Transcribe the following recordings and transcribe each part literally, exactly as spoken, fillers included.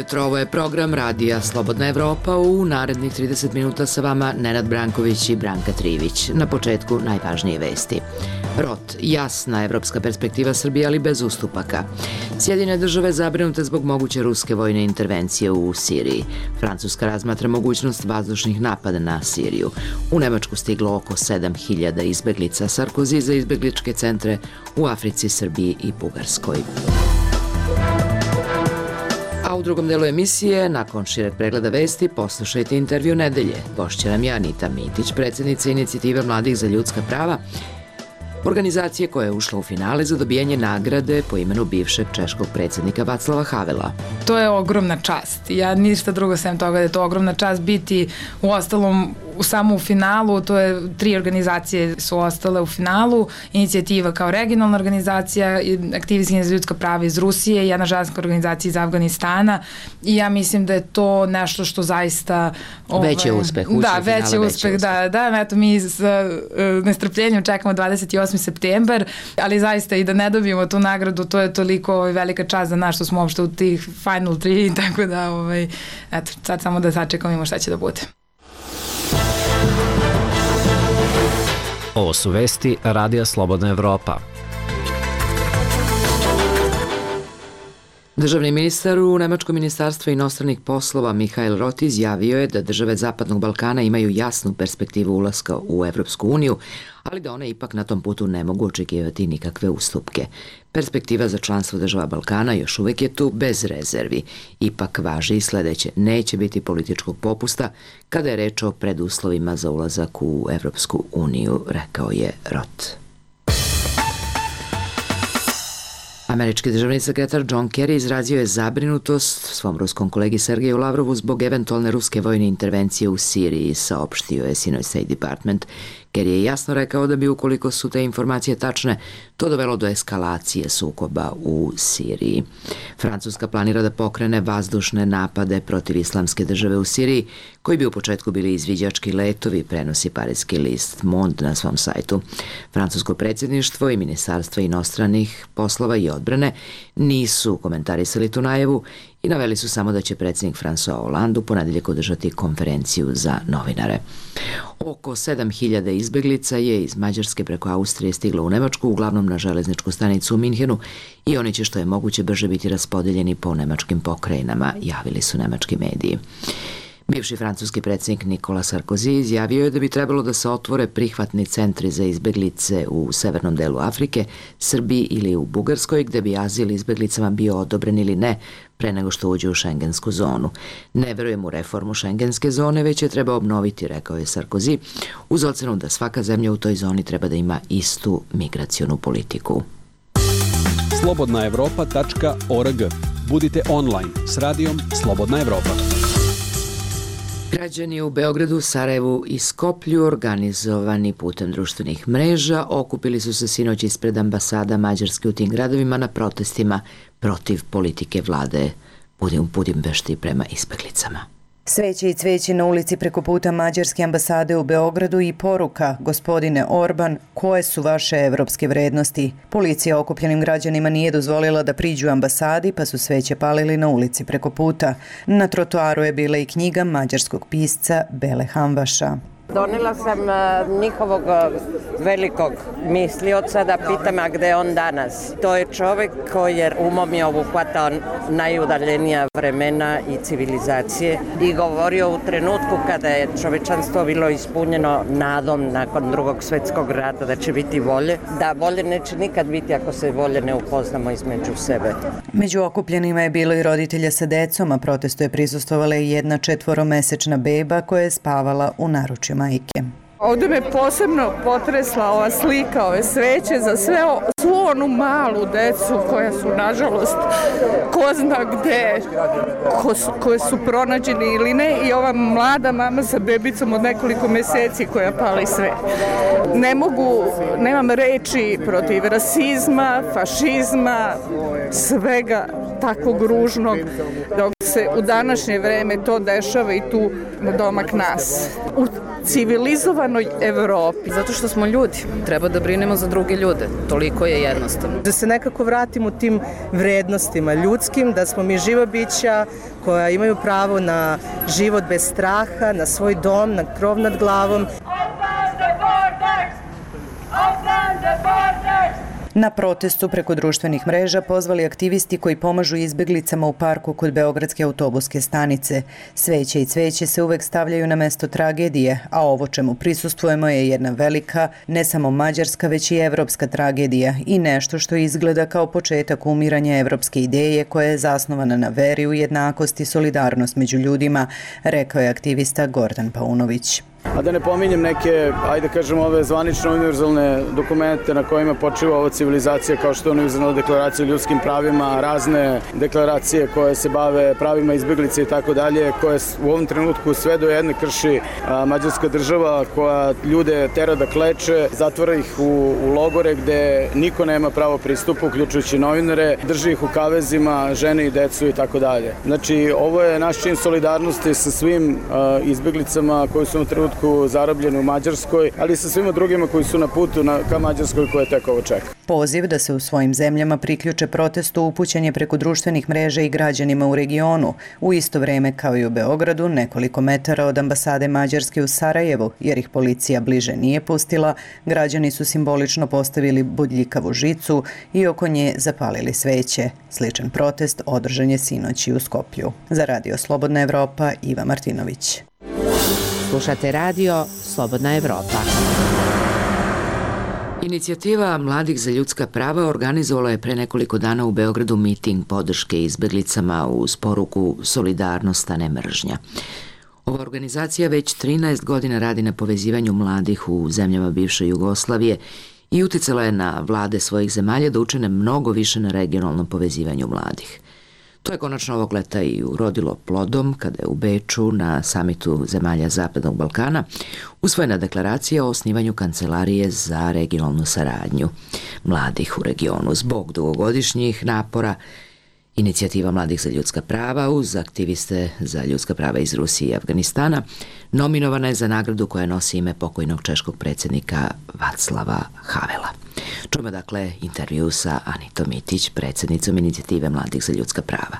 jutro, ovo je program Radija Slobodna Evropa. U narednih trideset minuta sa vama Nenad Branković i Branka Trivić. Na početku najvažnije vesti. Rot, jasna evropska perspektiva Srbije, ali bez ustupaka. Sjedinjene države zabrinute zbog moguće ruske vojne intervencije u Siriji. Francuska razmatra mogućnost vazdušnih napada na Siriju. U Nemačku stiglo oko sedam hiljada izbeglica. Sarkozy za izbegličke centre u Africi, Srbiji i Bugarskoj. A u drugom delu emisije, nakon šireg pregleda vesti, poslušajte intervju nedelje. Gošća nam je Anita Mitić, predsjednica Inicijative mladih za ljudska prava, organizacije koja je ušla u finale za dobijanje nagrade po imenu bivšeg češkog predsjednika Václava Havela. To je ogromna čast. Ja ništa drugo sem toga da je to ogromna čast biti u ostalom u samo u finalu. To je tri organizacije su ostale u finalu. Inicijativa kao regionalna organizacija, aktivisti za ljudska prava iz Rusije, jedna ženska organizacija iz Afganistana i ja mislim da je to nešto što zaista ovaj, veći uspeh. Da, veći uspeh, da, da, eto mi s uh, nestrpljenjem čekamo dvadeset osmi septembar, ali zaista i da ne dobijemo tu nagradu, to je toliko ovaj, velika čast za nas što smo uopšte u tih final tri, tako da ovaj, eto, sad samo da sačekamo imamo šta će da bude. Ovo su vesti Radija Slobodna Evropa. Državni ministar u Nemačkom ministarstvu inostranih poslova Michael Roth izjavio je da države Zapadnog Balkana imaju jasnu perspektivu ulaska u Evropsku uniju, ali da one ipak na tom putu ne mogu očekivati nikakve ustupke. Perspektiva za članstvo država Balkana još uvek je tu bez rezervi. Ipak važi i sledeće, neće biti političkog popusta kada je reč o preduslovima za ulazak u Evropsku uniju, rekao je Roth. Američki državni sekretar John Kerry izrazio je zabrinutost svom ruskom kolegi Sergeju Lavrovu zbog eventualne ruske vojne intervencije u Siriji, saopštio je sinoć State Department. Kerry je jasno rekao da bi, ukoliko su te informacije tačne, to dovelo do eskalacije sukoba u Siriji. Francuska planira da pokrene vazdušne napade protiv islamske države u Siriji, koji bi u početku bili izviđački letovi, prenosi parijski list Monde na svom sajtu. Francusko predsjedništvo i Ministarstvo inostranih poslova i odbrane nisu komentarisali tu najavu i naveli su samo da će predsjednik François Hollande u ponedeljak održati konferenciju za novinare. Oko sedam hiljada izbeglica je iz Mađarske preko Austrije stiglo u Nemačku, uglavnom na železničku stanicu u Minhenu, i oni će što je moguće brže biti raspodeljeni po nemačkim pokrajinama, javili su nemački mediji. Bivši francuski predsjednik Nicolas Sarkozy izjavio je da bi trebalo da se otvore prihvatni centri za izbeglice u severnom delu Afrike, Srbiji ili u Bugarskoj, gde bi azil izbeglicama bio odobren ili ne pre nego što uđe u šengensku zonu. Ne verujem u reformu šengenske zone, već je treba obnoviti, rekao je Sarkozy, uz ocenu da svaka zemlja u toj zoni treba da ima istu migracionu politiku. slobodna evropa tačka org. Budite online s radijom Slobodna Evropa. Građani u Beogradu, Sarajevu i Skoplju, organizovani putem društvenih mreža, okupili su se sinoć ispred ambasada Mađarske u tim gradovima na protestima protiv politike vlade u Budimpešti prema izbeglicama. Sveće i cveće na ulici preko puta Mađarske ambasade u Beogradu i poruka: gospodine Orban, koje su vaše evropske vrednosti? Policija okupljenim građanima nije dozvolila da priđu ambasadi, pa su sveće palili na ulici preko puta. Na trotoaru je bila i knjiga mađarskog pisca Bele Hamvaša. Donela sam njihovog velikog mislioca da pitam a gde je on danas. To je čovek koji je umom je obuhvatao najudaljenija vremena i civilizacije i govorio u trenutku kada je čovečanstvo bilo ispunjeno nadom nakon drugog svetskog rata da će biti volje, da volje neće nikad biti ako se volje ne upoznamo između sebe. Među okupljenima je bilo i roditelja sa decom, a protestu je prisustvovala i jedna četvoromesečna beba koja je spavala u naručju majke. Ovde me posebno potresla ova slika, ove sveće za sve, svu onu malu decu koja su, nažalost, ko zna gde, ko su, koje su pronađeni ili ne, i ova mlada mama sa bebicom od nekoliko meseci koja pali sve. Ne mogu, nemam reči protiv rasizma, fašizma, svega takvog ružnog, dok se se u današnje vreme to dešava i tu na domak nas. U civilizovanoj Evropi. Zato što smo ljudi. Treba da brinemo za druge ljude. Toliko je jednostavno. Da se nekako vratimo tim vrednostima ljudskim, da smo mi živa bića koja imaju pravo na život bez straha, na svoj dom, na krov nad glavom. Na protestu preko društvenih mreža pozvali aktivisti koji pomažu izbeglicama u parku kod Beogradske autobuske stanice. Sveće i cveće se uvek stavljaju na mesto tragedije, a ovo čemu prisustvujemo je jedna velika, ne samo mađarska, već i evropska tragedija i nešto što izgleda kao početak umiranja evropske ideje koja je zasnovana na veri u jednakost i solidarnost među ljudima, rekao je aktivista Gordan Paunović. A da ne pominjem neke, ajde kažemo, ove zvanične univerzalne dokumente na kojima počiva ova civilizacija, kao što je univerzalna deklaracija o ljudskim pravima, razne deklaracije koje se bave pravima izbeglice i tako dalje, koje u ovom trenutku sve do jedne krši a, mađarska država koja ljude tera da kleče, zatvara ih u, u logore gde niko nema pravo pristupa, uključujući novinare, drži ih u kavezima, žene i decu i tako dalje. Znači, ovo je naš čin solidarnosti sa svim a, izbeglicama koji su na trenutku zarobljeni u Mađarskoj, ali i sa svima drugima koji su na putu na, ka Mađarskoj koje tek ovo čeka. Poziv da se u svojim zemljama priključe protestu upućen je preko društvenih mreža i građanima u regionu, u isto vreme kao i u Beogradu, nekoliko metara od ambasade Mađarske u Sarajevu, jer ih policija bliže nije pustila, građani su simbolično postavili bodljikavu žicu i oko nje zapalili sveće. Sličan protest održan je sinoć i u Skoplju. Za Radio Slobodna Evropa, Iva Martinović. Slušate radio Slobodna Evropa. Inicijativa Mladih za ljudska prava organizovala je pre nekoliko dana u Beogradu miting podrške izbeglicama uz poruku solidarnost, a ne mržnja. Ova organizacija već trinaest godina radi na povezivanju mladih u zemljama bivše Jugoslavije i uticala je na vlade svojih zemalja da učine mnogo više na regionalnom povezivanju mladih. To je konačno ovog leta i urodilo plodom kada je u Beču na samitu zemalja Zapadnog Balkana usvojena deklaracija o osnivanju kancelarije za regionalnu saradnju mladih u regionu. Zbog dugogodišnjih napora Inicijativa Mladih za ljudska prava uz aktiviste za ljudska prava iz Rusije i Afganistana nominovana je za nagradu koja nosi ime pokojnog češkog predsjednika Vaclava Havela. Čujemo dakle intervju sa Anitom Mitić, predsjednicom Inicijative Mladih za ljudska prava.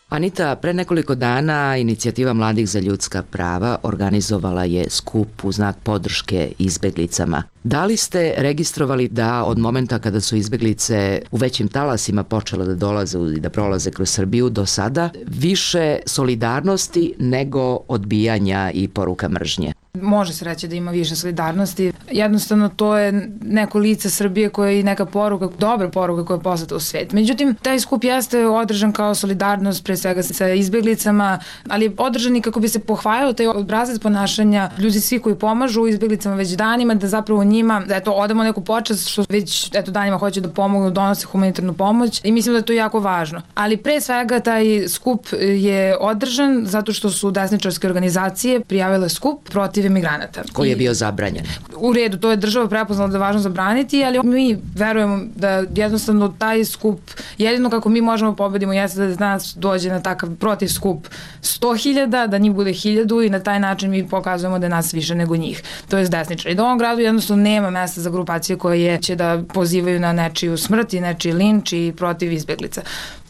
Anita, pre nekoliko dana Inicijativa Mladih za ljudska prava organizovala je skup u znak podrške izbeglicama. Da li ste registrovali da od momenta kada su izbeglice u većim talasima počele da dolaze i da prolaze kroz Srbiju do sada više solidarnosti nego odbijanja i poruka mržnje? Može se reći da ima više solidarnosti. Jednostavno to je neko lice Srbije koje je neka poruka, dobra poruka koja je poslata u svet. Međutim, taj skup jeste održan kao solidarnost pre svega sa izbeglicama, ali je održan i kako bi se pohvalio taj obrazac ponašanja ljudi svi koji pomažu izbeglicama već danima, da zapravo njima, da eto, odamo neku počast što već eto, danima hoće da pomognu, donose humanitarnu pomoć i mislim da je to jako važno. Ali pre svega taj skup je održan zato što su desničarske organizacije prijavile skup protiv emigranata. Koji je bio zabranjen. U redu, to je država prepoznala da je važno zabraniti, ali mi verujemo da jednostavno taj skup, jedino kako mi možemo pobedimo jeste da nas dođe na takav protiv skup sto hiljada, da njih bude hiljadu i na taj način mi pokazujemo da je nas više nego njih. To je desničar. I da u ovom gradu jednostavno nema mesta za grupacije koje će da pozivaju na nečiju smrt i nečiji linč i protiv izbeglica.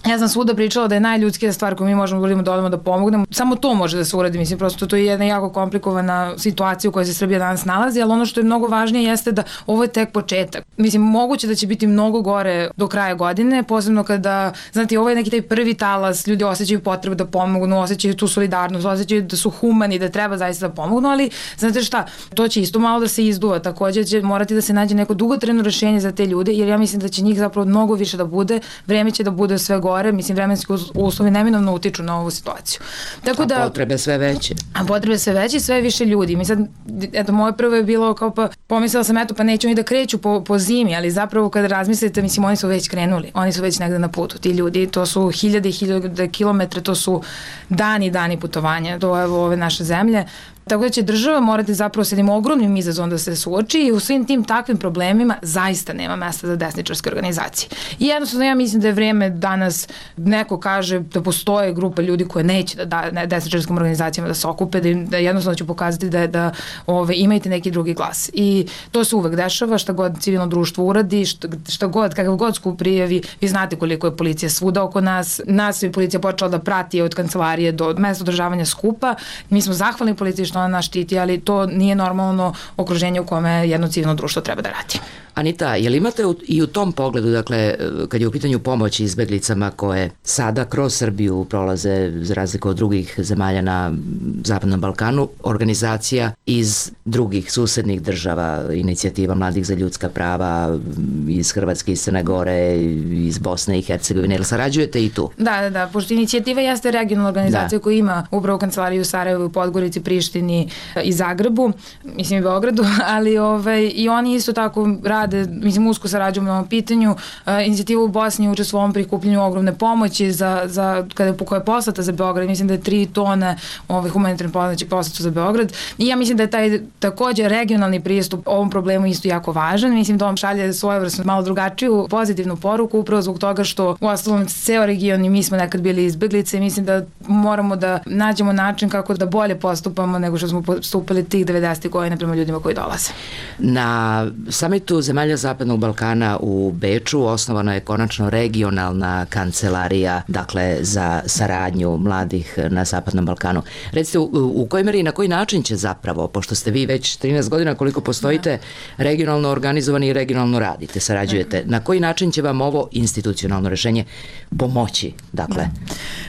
Ja sam svuda pričala da je najljudskija stvar koju mi možemo da uradimo da odemo da pomognemo. Samo to može da se uradi, mislim, prosto to je jedna jako komplikovana situacija u kojoj se Srbija danas nalazi, ali ono što je mnogo važnije jeste da ovo je tek početak. Mislim, moguće da će biti mnogo gore do kraja godine, posebno kada, znate, ovo je neki taj prvi talas, ljudi osjećaju potrebu da pomognu, osjećaju tu solidarnost, osjećaju da su humani, da treba zaista da pomognu, ali znate šta, to će isto malo da se izduva, takođe će morati da se nađe neko dugotrajno rešenje za te ljude, jer ja mislim da će njih zapravo mnogo više da bude, vreme će da bude sve gore. Mislim, vremenski uslovi neminovno utiču na ovu situaciju. Tako da, a potrebe sve veće. A potrebe sve veće i sve više ljudi. Mi sad, eto, moje prvo je bilo kao pa, pomislila sam, eto, pa neću oni da kreću po, po zimi, ali zapravo kada razmislite, mislim, oni su već krenuli. Oni su već negde na putu. Ti ljudi, to su hiljade i hiljade kilometre, to su dani, dani putovanja do evo, ove naše zemlje. Tako da će država morati zapravo s jednim ogromnim izazovom da se suoči i u svim tim takvim problemima zaista nema mesta za desničarske organizacije. I jednostavno ja mislim da je vreme danas neko kaže da postoje grupa ljudi koje neće da da desničarskim organizacijama da se okupe, da, im, da jednostavno će pokazati da, da ove, imajte neki drugi glas. I to se uvek dešava, šta god civilno društvo uradi, šta, šta god, kakav god skup prijavi, vi znate koliko je policija svuda oko nas. Nas je policija počela da prati od kancelarije do mesta održavanja skupa. Mi smo zahvalni policiji što ona nas štiti, ali to nije normalno okruženje u kome jedno civilno društvo treba da radi. Anita, je li imate i u tom pogledu, dakle, kad je u pitanju pomoć izbeglicama koje sada kroz Srbiju prolaze, za razliku od drugih zemalja na Zapadnom Balkanu, organizacija iz drugih susednih država, inicijativa Mladih za ljudska prava, iz Hrvatske, iz Crne Gore, iz Bosne i Hercegovine, ili sarađujete i tu? Da, da, da, pošto inicijativa jeste regionalna organizacija da. koja ima upravo kancelariju u Sarajevu, Podgorici, Prištini i Zagrebu, mislim i Beogradu, ali ovaj, i oni isto tako rade, mislim, usko sarađujemo na ovom pitanju. Uh, inicijativa u Bosni učestvuje u ovom prikupljenju ogromne pomoći za, za, kada, koja je poslata za Beograd. Mislim da je tri tone ove humanitarne pomoći poslata za Beograd. I ja mislim da je taj takođe regionalni pristup ovom problemu isto jako važan. Mislim da on šalje svojevrsno malo drugačiju pozitivnu poruku, upravo zbog toga što u ostalom ceo region i mi smo nekad bili izbeglice. Mislim da moramo da nađemo način kako da bolje postupamo nego što smo postupali tih devedesetih godina prema ljudima koji dolaze. Na samitu zemalja Zapadnog Balkana u Beču osnovana je konačno regionalna kancelarija, dakle, za saradnju mladih na Zapadnom Balkanu. Recite, u, u kojoj meri i na koji način će zapravo, pošto ste vi već trinaest godina koliko postojite, regionalno organizovani i regionalno radite, sarađujete, na koji način će vam ovo institucionalno rešenje pomoći, dakle?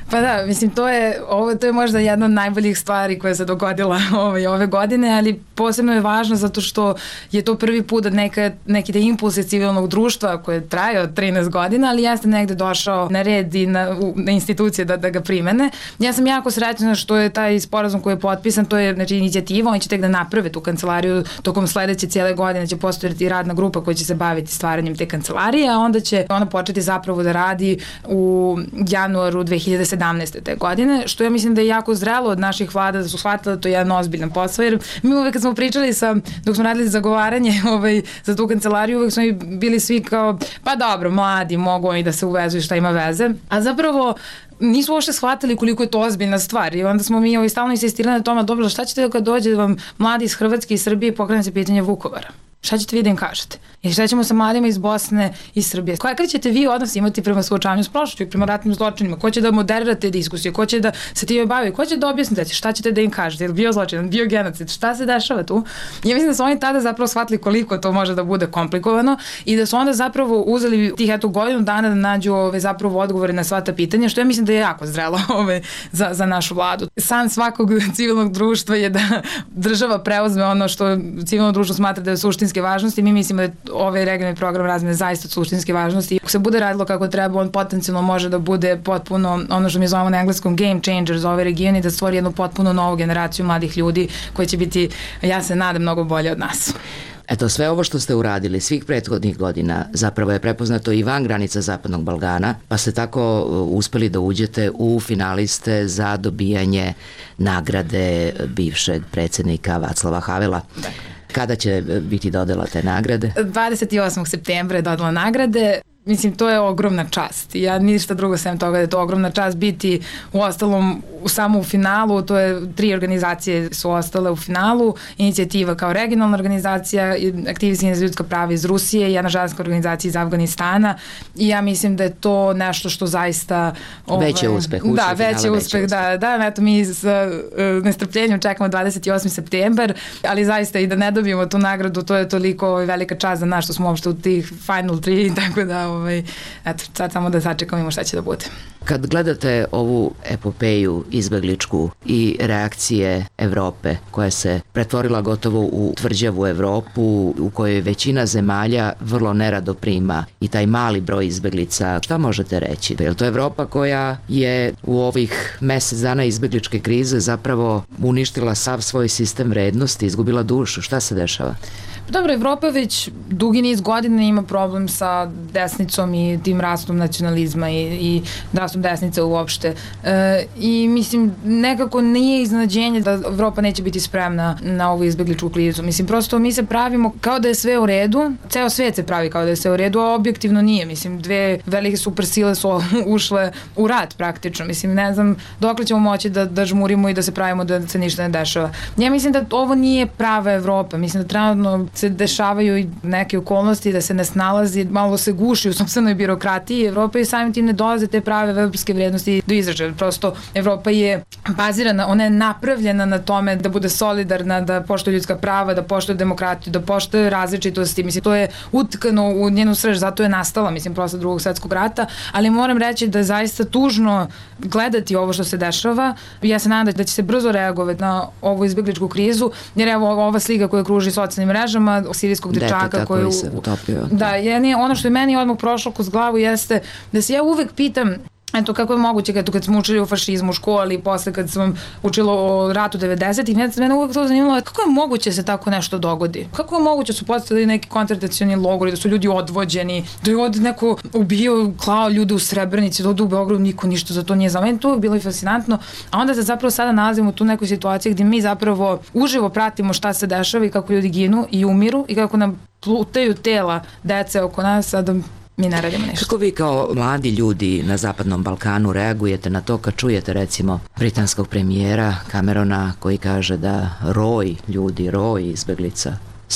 Pa da, mislim, to je, ovo, to je možda jedna od najboljih stvari koja se dogodila ove, ove godine, ali posebno je važno zato što je to prvi put da neka, neki da impulse civilnog društva koje traje od trinaest godina, ali jeste negde došao na red i na, u, na institucije da, da ga primene. Ja sam jako srećna što je taj sporazum koji je potpisan, to je, znači, inicijativa, oni će tek da naprave tu kancelariju, tokom sledeće cijele godine će postojati radna grupa koja će se baviti stvaranjem te kancelarije, a onda će ona početi zapravo da radi u januaru dve hiljade sedamnaeste. te godine, što ja mislim da je jako zrelo od naših vlada da su shvatili da to je jedan ozbiljan posao, jer mi uvek kad smo pričali sa, dok smo radili zagovaranje ovaj, za tu kancelariju, uvek smo bili svi kao, pa dobro, mladi mogu oni da se uvezu i šta ima veze, a zapravo nisu uopšte shvatili koliko je to ozbiljna stvar i onda smo mi ovaj, stalno insistirali na tome, dobro, šta ćete kad dođe vam mladi iz Hrvatske i Srbije i pokrene se pitanje Vukovara? Šta ćete vi da im kažete? I šta ćemo sa mladima iz Bosne i Srbije? Kakav ćete vi odnos imati prema suočavanju s prošlošću i prema ratnim zločinima? Ko će da moderira te diskusije? Ko će da se time bavi? Ko će da objasnite? Šta ćete da im kažete? Je li bio zločin? Bio genocid? Šta se dešava tu? I ja mislim da su oni tada zapravo shvatili koliko to može da bude komplikovano i da su onda zapravo uzeli tih eto godinu dana da nađu ove, zapravo odgovore na sva ta pitanja, što ja mislim da je jako zrelo ove, za, za našu vladu. San svakog civilnog društva je da država preuzme ono što civilno društvo smatra da je suštinski važnosti. Mi mislimo da je ovaj regionalni program razmene zaista od suštinske važnosti. Ako se bude radilo kako treba, on potencijalno može da bude potpuno ono što mi zovemo na engleskom game changer za ovaj region i da stvori jednu potpuno novu generaciju mladih ljudi koji će biti, ja se nadam, mnogo bolje od nas. Eto, sve ovo što ste uradili svih prethodnih godina zapravo je prepoznato i van granica Zapadnog Balkana, pa ste tako uspeli da uđete u finaliste za dobijanje nagrade bivšeg predsjednika Vaclava Havela. Da. Kada će biti dodela te nagrade? dvadeset osmog septembra je dodela nagrade. Mislim, to je ogromna čast. Ja ništa drugo sem toga da je to ogromna čast biti u ostalom u samo u finalu. To je tri organizacije su ostale u finalu. Inicijativa kao regionalna organizacija, aktivisti za ljudska prava iz Rusije i jedna ženska organizacija iz Afganistana. I ja mislim da je to nešto što zaista... Ovaj, veći uspeh. Da, veći uspeh, da. Da, eto, mi s uh, nestrpljenjem čekamo dvadeset osmi septembar, ali zaista i da ne dobijemo tu nagradu, to je toliko ovaj, velika čast za nas što smo uopšte u tih final tri, tako da ovaj, eto, sad samo da sačekamo šta će da bude. Kad gledate ovu epopeju izbegličku i reakcije Evrope koja se pretvorila gotovo u tvrđavu Evropu u kojoj većina zemalja vrlo nerado prima i taj mali broj izbeglica, šta možete reći? Je li to Evropa koja je u ovih mesec dana izbegličke krize zapravo uništila sav svoj sistem vrednosti, izgubila dušu? Šta se dešava? Dobro, Evropa već dugi niz godina ima problem sa desnicom i tim rastom nacionalizma i, i rastom desnice uopšte. E, I mislim, nekako nije iznenađenje da Evropa neće biti spremna na ovu izbegličku krizu. Mislim, prosto mi se pravimo kao da je sve u redu, ceo svet se pravi kao da je sve u redu, a objektivno nije. Mislim, dve velike supersile su ušle u rat praktično. Mislim, ne znam dokle ćemo moći da, da žmurimo i da se pravimo da se ništa ne dešava. Ja mislim da ovo nije prava Evropa. Mislim da trenutno se dešavaju i neke okolnosti da se ne snalazi, malo se guši u sopstvenoj birokratiji Evropa i samim tim ne dolaze te prave evropske vrednosti do izražaja. Prosto Evropa je bazirana, ona je napravljena na tome da bude solidarna, da poštuje ljudska prava, da poštuje demokratiju, da poštuje različitosti. Mislim, to je utkano u njenu srž, zato je nastala, mislim, posle drugog svetskog rata, ali moram reći da je zaista tužno gledati ovo što se dešava. Ja se nadam da će se brzo reagovati na ovu izbegličku krizu, jer evo ova slika koja kruži socijalnim mrežama sirijskog dečaka koju se utopio. Da, je, ono što je meni odmah prošlo kroz glavu jeste da se ja uvek pitam eto, kako je moguće kad, kad smo učili o fašizmu u školi i posle kad sam učila o ratu devedesetih, mene uvek to zanimalo kako je moguće se tako nešto dogodi? Kako je moguće su postavili neki koncentracioni logori, da su ljudi odvođeni, da je od neko ubio, klao ljude u Srebrenici, da ovde u Beogradu niko ništa za to nije znao. Meni to uvek bilo i fascinantno, a onda se zapravo sada nalazimo u tu nekoj situaciji gdje mi zapravo uživo pratimo šta se dešava i kako ljudi ginu i umiru i kako nam plutaju tela dece oko nas, a da mi ne radimo ništa. Kako vi kao mladi ljudi na Zapadnom Balkanu reagujete na to kad čujete recimo britanskog premijera Camerona koji kaže da roj ljudi, roj izbeglica,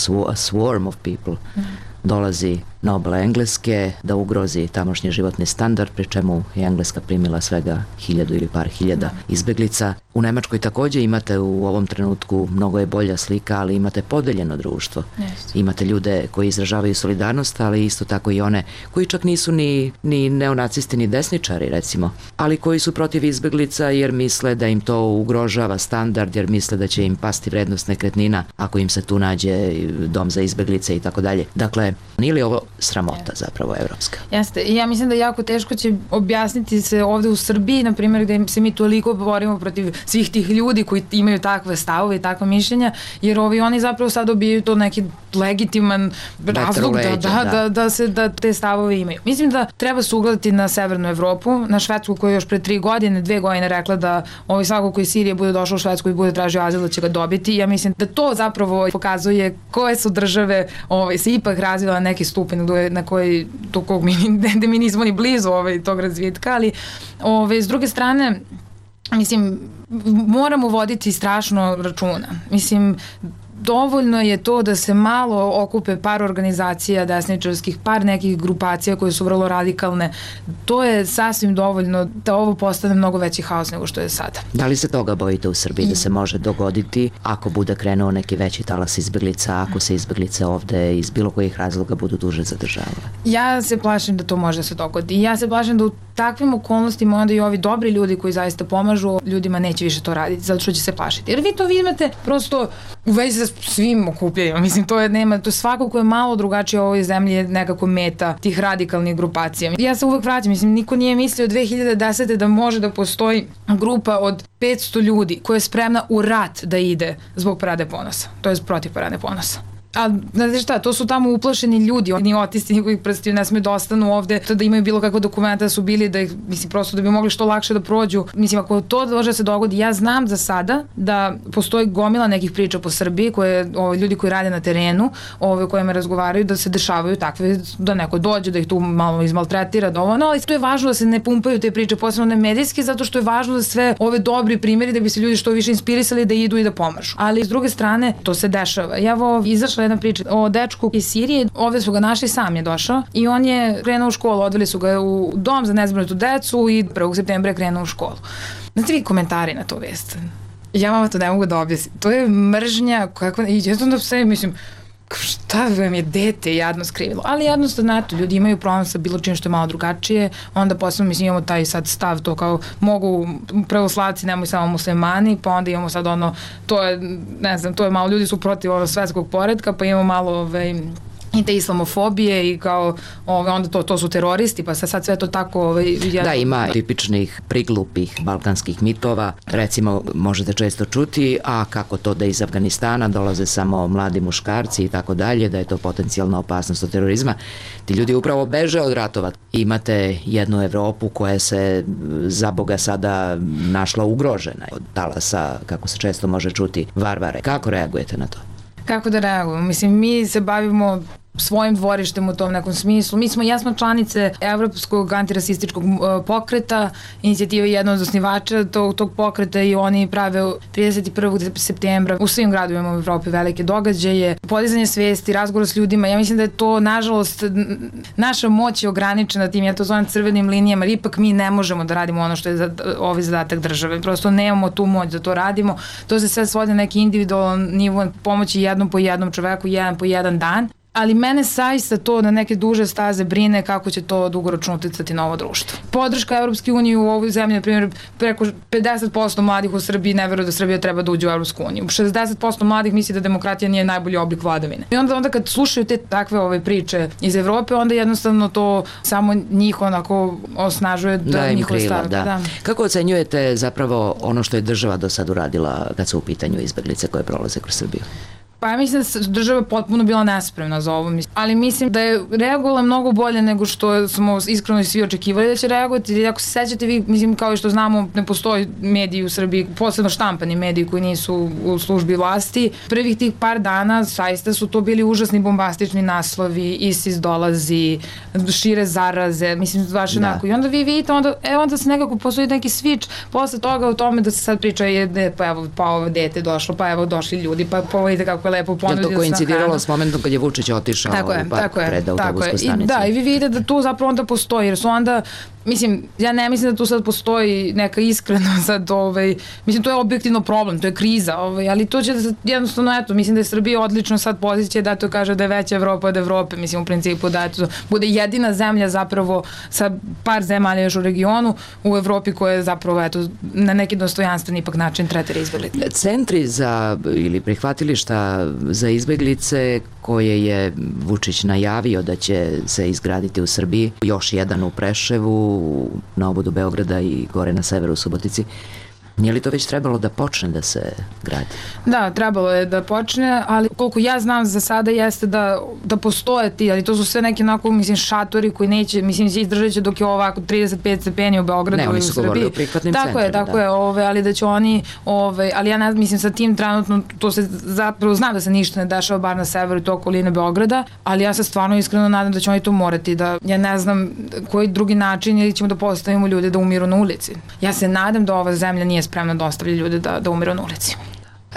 a swarm of people, mm. dolazi na obale Engleske da ugrozi tamošnji životni standard, pri čemu je Engleska primila svega hiljadu ili par hiljada izbeglica. U Nemačkoj takođe imate u ovom trenutku, mnogo je bolja slika, ali imate podeljeno društvo. Yes. Imate ljude koji izražavaju solidarnost, ali isto tako i one koji čak nisu ni, ni neonacisti ni desničari recimo, ali koji su protiv izbeglica jer misle da im to ugrožava standard, jer misle da će im pasti vrednost nekretnina ako im se tu nađe dom za izbeglice i tako dalje. Dakle, nije li ovo sramota zapravo evropska? Jeste, i ja mislim da jako teško će objasniti se ovde u Srbiji, na primjer, gde se mi toliko borimo protiv svih tih ljudi koji imaju takve stavove i takve mišljenja, jer ovi oni zapravo sad dobijaju to neki legitiman razlog da, da, da, da se da te stavove imaju. Mislim da treba se ugledati na Severnu Evropu, na Švedsku koja je još pre tri godine, dve godine rekla da ovaj svako koji iz Sirije bude došao u Švedsku i bude tražio azil da će ga dobiti. Ja mislim da to zapravo pokazuje koje su države ovaj, se ipak razvila neki stupanj na koji, do kog mi, da mi nismo ni blizu ovaj, tog razvitka, ali ovaj, s druge strane, mislim, moramo voditi strašno računa. Mislim, dovoljno je to da se malo okupe par organizacija desničarskih, par nekih grupacija koje su vrlo radikalne. To je sasvim dovoljno da ovo postane mnogo veći haos nego što je sada. Da li se toga bojite u Srbiji da se može dogoditi ako bude krenuo neki veći talas izbeglica, ako se izbeglice ovde iz bilo kojih razloga budu duže zadržavale? Ja se plašim da to može da se dogodi. Ja se plašim da u takvim okolnostima onda i ovi dobri ljudi koji zaista pomažu ljudima neće više to raditi, zato što će se plašiti. Jer vi to vidite prosto u vezi sa svim okupljanjima. Mislim, to je, nema, to svako ko je malo drugačije u ovoj zemlji je nekako meta tih radikalnih grupacija. Ja se uvek vraćam, mislim, niko nije mislio dve hiljade desete da može da postoji grupa od petsto ljudi koja je spremna u rat da ide zbog Parade ponosa. To je protiv Parade ponosa. A, znate šta, to su tamo uplašeni ljudi, oni otisti njihovih prstiju ne smiju da ostanu ovde, da imaju bilo kakva dokumenta da su bili, da ih, mislim, prosto da bi mogli što lakše da prođu. Mislim, ako to može da se dogodi, ja znam za sada da postoji gomila nekih priča po Srbiji, koje, ovaj, ljudi koji rade na terenu, ove kojima razgovaraju, da se dešavaju takve, da neko dođe, da ih tu malo izmaltretira, dovoljno, ali to je važno da se ne pumpaju te priče, posebno ne medijski, zato što je važno da sve ove dobri primjeri, da bi se ljudi što više inspirisali da idu i da pomažu. Ali, s druge strane, to se dešava. Ja ovo izašla jedna priča o dečku iz Sirije, ovde su ga našli, sam je došao i on je krenuo u školu, odveli su ga u dom za nezbrinutu decu i prvog septembra je krenuo u školu. Znate vi komentari na to vest? Ja vama to ne mogu da objasnim. To je mržnja, kakva, i ja sam da sve, mislim, šta vam je dete jadno skrivilo, ali jednostavno, znate, ljudi imaju problem sa bilo čim što je malo drugačije, onda posebno, mislim, imamo taj sad stav, to kao mogu pravoslavci, nemoj samo muslimani, pa onda imamo sad ono, to je, ne znam, to je malo, ljudi su protiv ovog svetskog poretka, pa imamo malo, ovaj, i te islamofobije i kao ove, onda to, to su teroristi, pa sad sve to tako... Ove, jedno... Da, ima tipičnih priglupih balkanskih mitova, recimo možete često čuti, a kako to da iz Afganistana dolaze samo mladi muškarci i tako dalje, da je to potencijalna opasnost od terorizma. Ti ljudi upravo beže od ratova. Imate jednu Evropu koja se za Boga sada našla ugrožena od talasa, kako se često može čuti, varvare. Kako reagujete na to? Kako da reagujemo? Mislim, mi se bavimo svojim dvorištem u tom nekom smislu. Mi smo jasno članice Evropskog antirasističkog pokreta, inicijativa je jedna od osnivača tog, tog pokreta i oni prave trideset prvog septembra u svim gradovima u Evropi velike događaje, podizanje svesti, razgovor s ljudima. Ja mislim da je to, nažalost, naša moć je ograničena tim, ja to zovem crvenim linijama, jer ipak mi ne možemo da radimo ono što je za, ovaj zadatak države. Prosto nemamo tu moć da to radimo. To se sve svodi na neki individualan nivo pomoći jednom po jednom čoveku, jedan po jedan dan. Ali mene saista to na neke duže staze brine kako će to dugoročno uticati na ovo društvo. Podrška Evropske unije u ovoj zemlji, na primjer, preko pedeset posto mladih u Srbiji ne veruje da Srbija treba da uđe u Evropsku uniju. šezdeset posto mladih misli da demokratija nije najbolji oblik vladavine. I onda, onda kad slušaju te takve ove priče iz Evrope, onda jednostavno to samo njih onako osnažuje da, da njihove stavke. Da. Da. Kako ocenjujete zapravo ono što je država do sad uradila kad su u pitanju izbeglice koje prolaze kroz Srbiju? Pa ja mislim da je država potpuno bila nespremna za ovo, ali mislim da je reagovala mnogo bolje nego što smo iskreno svi očekivali da će reagovati, jer ako se sećate vi, mislim kao i što znamo, ne postoji mediji u Srbiji, posebno štampani mediji koji nisu u službi vlasti. Prvih tih par dana saista su to bili užasni bombastični naslovi, ISIS dolazi, šire zaraze, mislim baš da. Onako. I onda vi vidite, onda, e, onda se nekako postoji neki switch posle toga u tome da se sad priča je, pa evo, pa ovo dete došlo, pa evo došli ljudi, pa, pa vidite kako lepo ponudio sa hranom. Je to koincidiralo s momentom kad je Vučić otišao tako je, u park pred autobusku stanicu. I, da, i vi vidite da tu zapravo onda postoji, jer su onda, mislim, ja ne mislim da tu sad postoji neka iskreno sad, ovaj, mislim, to je objektivno problem, to je kriza, ovaj, ali to će da se jednostavno, eto, mislim da je Srbija odlično sad pozicija da to kaže da je veća Evropa od Evrope, mislim, u principu da eto, bude jedina zemlja zapravo sa par zemalja još u regionu u Evropi koja je zapravo, eto, na neki dostojanstven ipak način tretira izbeglice. Centri za, ili prihvatilišta za izbeglice koje je Vučić najavio da će se izgraditi u Srbiji, još jedan u Preševu, na obodu Beograda i gore na severu u Subotici. Nije li to već trebalo da počne da se gradi? Da, trebalo je da počne, ali koliko ja znam za sada jeste da, da postoje ti, ali to su sve neki onako, mislim, šatori koji neće, mislim, izdržat će dok je ovako trideset pet stepeni u Beogradu i u Srbiji. Ne, oni su govorili o prihvatnim tako centrima. Je, tako da. je, ove, ali da će oni, ove, ali ja ne mislim sa tim trenutno, to se zapravo znam da se ništa ne dešava bar na severu i to okoline Beograda, ali ja se stvarno iskreno nadam da će oni to morati, da ja ne znam koji drugi način ili ćemo da postavimo ljude da umiru na ulici. Ja se nadam da ova zemlja nije spremna da ostavlja ljude da, da umiru na ulici.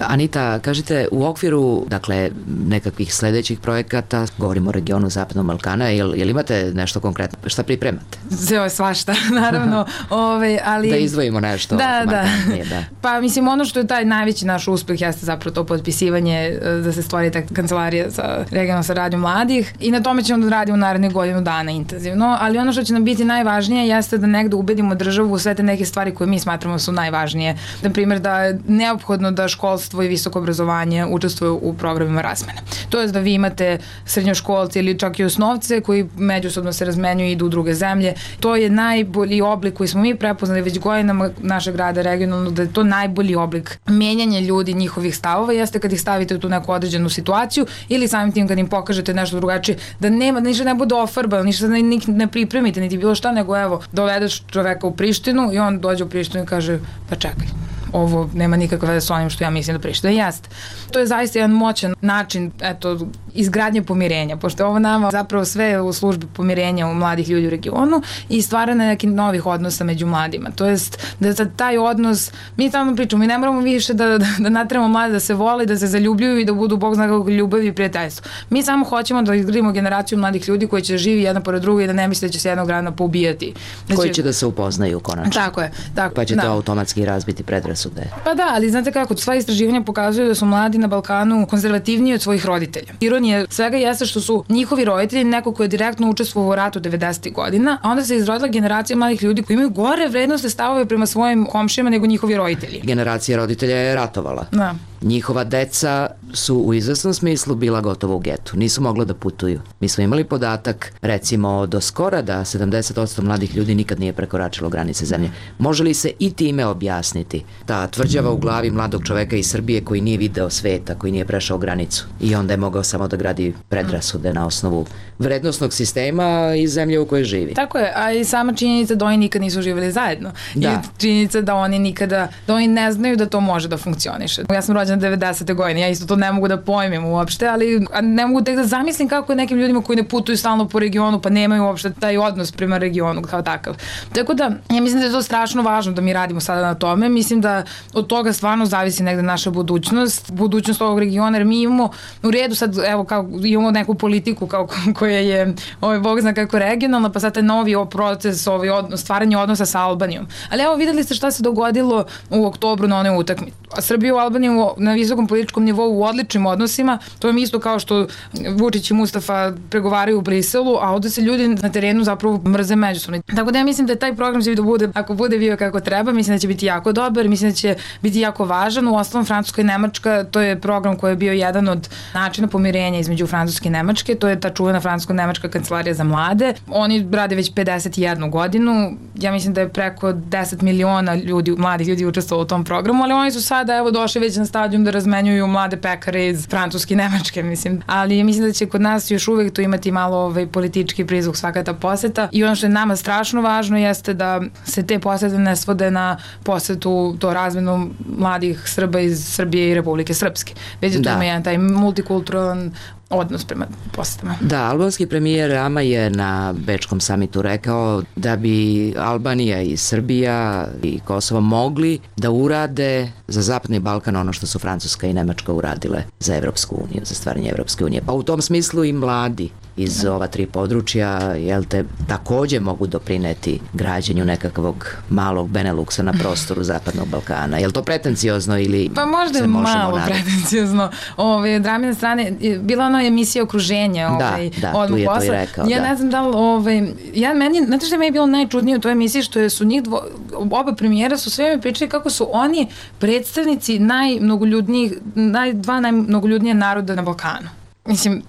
Anita, kažite, u okviru, dakle, nekakvih sledećih projekata, govorimo o regionu Zapadnog Balkana, jel, jel imate nešto konkretno? Šta pripremate? Sve je svašta, naravno. ove, ali... Da izdvojimo nešto. Da, da. da. Pa, mislim, ono što je taj najveći naš uspeh jeste zapravo to potpisivanje da se stvori ta kancelarija za regionalnu saradnju mladih i na tome ćemo da radimo naredne godinu dana intenzivno, ali ono što će nam biti najvažnije jeste da negde ubedimo državu u sve te neke stvari koje mi smatramo su najvažnije. Na primjer, da je neophodno da školstvo i visoko obrazovanje učestvuju u programima razmene. To je da vi imate srednjoškolce ili čak i osnovce koji međusobno se razmenjuju i idu u druge zemlje. To je najbolji oblik koji smo mi prepoznali već godinama našeg rada regionalno, da je to najbolji oblik menjanja ljudi, njihovih stavova, jeste kad ih stavite u tu neku određenu situaciju ili samim tim kad im pokažete nešto drugačije, da nema, ništa ne bude ofarbano, ništa ne, ne pripremite, niti bilo šta, nego evo, dovedeš čoveka u Prištinu i on dođe u Prištinu i kaže, pa čekaj, ovo nema nikakve veze s onim što ja mislim da Priština jeste. To je zaista jedan moćan način, eto, izgradnje pomirenja, pošto ovo nama zapravo sve u službi pomirenja u mladih ljudi u regionu i stvaranje nekih novih odnosa među mladima. To jest da za taj odnos, mi tamo pričamo, mi ne moramo više da, da, da natremo mlade da se vole, da se zaljubljuju i da budu bog zna kako ljubavi i prijateljstvo. Mi samo hoćemo da izgradimo generaciju mladih ljudi koji će živi jedan pored druga i da ne misle da će se jednog dana poubijati. Da koji će da se upoznaju konačno. Tako je. Tako, pa će da. to automatski razbiti predrasude. Pa da, ali znate kako, sva istraživanja pokazuju da su mladi na Balkanu konzervativniji od svojih roditelja. Ironija svega jeste što su njihovi roditelji neko ko je direktno učestvovao u ratu devedesetih godina, a onda se izrodila generacija mladih ljudi koji imaju gore vrednostne stavove prema svojim komšijama nego njihovi roditelji. Generacija roditelja je ratovala. Da. Njihova deca su u izvesnom smislu bila gotovo u getu, nisu mogla da putuju. Mi smo imali podatak, recimo do skora, da sedamdeset posto mladih ljudi nikad nije prekoračilo granice zemlje. Može li se i time objasniti ta tvrđava u glavi mladog čoveka iz Srbije koji nije video sveta, koji nije prešao granicu i onda je mogao samo da gradi predrasude na osnovu vrednosnog sistema iz zemlje u kojoj živi? Tako je, a i sama činjenica da oni nikad nisu živjeli zajedno. Da. I činjenica da oni nikada, da oni ne znaju da to može da funkcioniše. Ja sam rođena devedesete godine, ja isto to ne mogu da pojmim uopšte, ali ne mogu tek da zamislim kako je nekim ljudima koji ne putuju stalno po regionu pa nemaju uopšte taj odnos prema regionu kao takav. Tako da, ja mislim da je to strašno važno da mi radimo sada na tome. Mislim da od toga stvarno zavisi negde naša budućnost, budućnost ovog regiona, jer mi imamo u redu sad, evo, kao, imamo neku politiku kao, koja je, ovaj, Bog zna kako regionalna, pa sad taj novi proces, ovaj, odnos, stvaranje odnosa sa Albanijom. Ali evo, videli ste šta se dogodilo u oktobru na onoj utakmici. Srbija i Albanija na visokom političkom nivou u odličnim odnosima, to je isto kao što Vučić i Mustafa pregovaraju u Briselu, a ovde se ljudi na terenu zapravo mrze međusobno. Tako da ja mislim da taj program će da bude, ako bude bio kako treba, mislim da će biti jako dobar, mislim da će biti jako važan. U ostalom, Francuska i Nemačka, to je program koji je bio jedan od načina pomirenja između Francuske i Nemačke, to je ta čuvena francusko-nemačka kancelarija za mlade. Oni rade već pedeset jednu godinu, ja mislim da je preko deset miliona ljudi, mladih ljudi učestvovalo u tom programu, ali oni su sada evo došli već na stadijum da razmenjuju mlade pekare iz Francuske i Nemačke, mislim. Ali mislim da će kod nas još uvek tu imati malo ovaj politički prizvuk svaka ta poseta i ono što je nama strašno važno jeste da se te posete ne svode na posetu to razmenu mladih Srba iz Srbije i Republike Srpske. Već da tu ima jedan taj multikulturalan odnos prema posetama. Da, albanski premijer Rama je na Bečkom samitu rekao da bi Albanija i Srbija i Kosovo mogli da urade za Zapadni Balkan ono što su Francuska i Nemačka uradile za Evropsku uniju, za stvaranje Evropske unije. Pa u tom smislu i mladi iz ova tri područja, jel te, takođe mogu doprineti građenju nekakvog malog Beneluksa na prostoru Zapadnog Balkana. Je li to pretenciozno ili pa možda se možemo nadati? Pa malo pretenciozno. Ove, Dramina strane, bila ona emisija Okruženje. Ovaj, da, da, tu je to i rekao. Ja da. ne znam da li, ovaj, ja, meni, znate što je meni bilo najčudnije u toj emisiji, što su njih dvo, oba premijera su sve mi pričali kako su oni predstavnici najmnogoljudnijih, naj, dva najmnogoljudnije naroda na Balkanu. Mislim,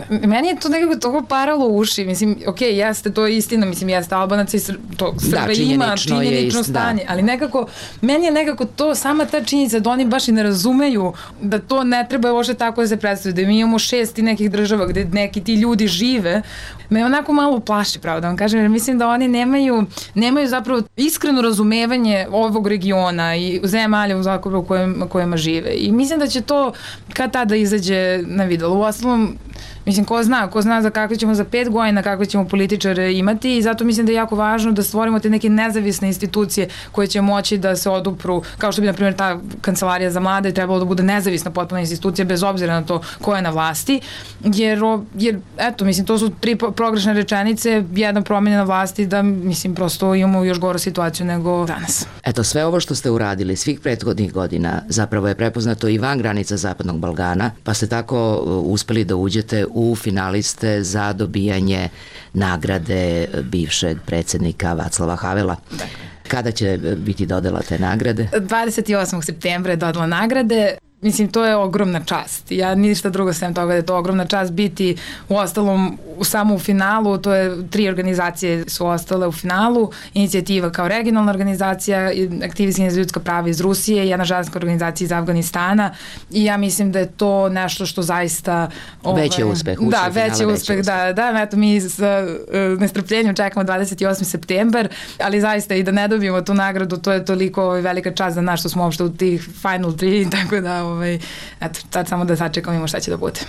meni je to nekako toliko paralo u uši, mislim, ok, jeste, to je istina, mislim, jeste Albanaca i Sr to Srba da, ima činjenično ist, stanje, da. Ali nekako, meni je nekako to, sama ta činjenica da oni baš i ne razumeju da to ne treba uopšte tako da se predstavlja, da mi imamo šest i nekih država gde neki ti ljudi žive, me onako malo plaši, pravo da vam kažem, jer mislim da oni nemaju, nemaju zapravo iskreno razumevanje ovog regiona i zemalja u zakobu kojima, kojima žive. I mislim da će to kad tada izađe na videlo. U ostalom, mislim, ko zna, ko zna za kakve ćemo za pet godina, kakve ćemo političare imati i zato mislim da je jako važno da stvorimo te neke nezavisne institucije koje će moći da se odupru, kao što bi, na primjer, ta kancelarija za mlade trebalo da bude nezavisna potpuna institucija bez obzira na to ko je na vlasti, jer, jer eto, mislim, to su tri progrešne rečenice, jedna promjena vlasti da, mislim, prosto imamo još goru situaciju nego danas. Eto, sve ovo što ste uradili svih prethodnih godina zapravo je prepoznato i van granica Zapadnog Balkana, pa ste tako uspeli da uđete u finaliste za dobijanje nagrade bivšeg predsjednika Vaclava Havela. Dakle. Kada će biti dodela te nagrade? dvadeset osmog septembra je dodela nagrade. Mislim, to je ogromna čast. Ja ništa drugo sem toga da je to ogromna čast biti u ostalom samo u finalu. To je tri organizacije su ostale u finalu. Inicijativa kao regionalna organizacija, aktivistinja za ljudska prava iz Rusije, jedna ženska organizacija iz Afganistana i ja mislim da je to nešto što zaista... Ovaj, veći uspeh. Da, veći uspeh, da, da. Eto, mi sa uh, nestrpljenjem čekamo dvadeset osmi september, ali zaista i da ne dobijemo tu nagradu, to je toliko ovaj, velika čast za nas što smo uopšte u tih final tri, tako da ovaj, eto, sad samo da sačekamo šta će da bude.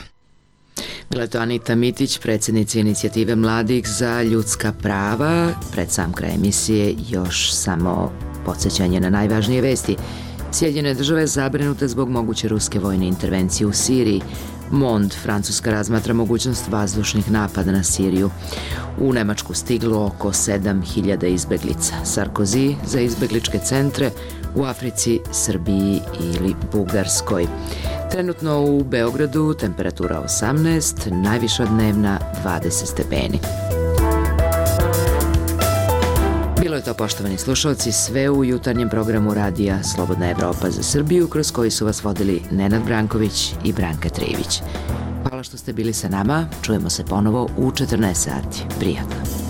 Bila je to Anita Mitić, predsjednica inicijative mladih za ljudska prava. Pred sam kraj emisije još samo podsjećanje na najvažnije vesti. Sjedinjene države zabrinute zbog moguće ruske vojne intervencije u Siriji. Mond, Francuska razmatra mogućnost vazdušnih napada na Siriju. U Nemačku stiglo oko sedam hiljada izbeglica. Sarkozy za izbegličke centre u Africi, Srbiji ili Bugarskoj. Trenutno u Beogradu temperatura osamnaest, najviša dnevna dvadeset stepeni. Bilo je to, poštovani slušalci, sve u jutarnjem programu radija Slobodna Evropa za Srbiju, kroz koji su vas vodili Nenad Branković i Branka Trijević. Hvala što ste bili sa nama, čujemo se ponovo u četrnaest sati. Prijatno.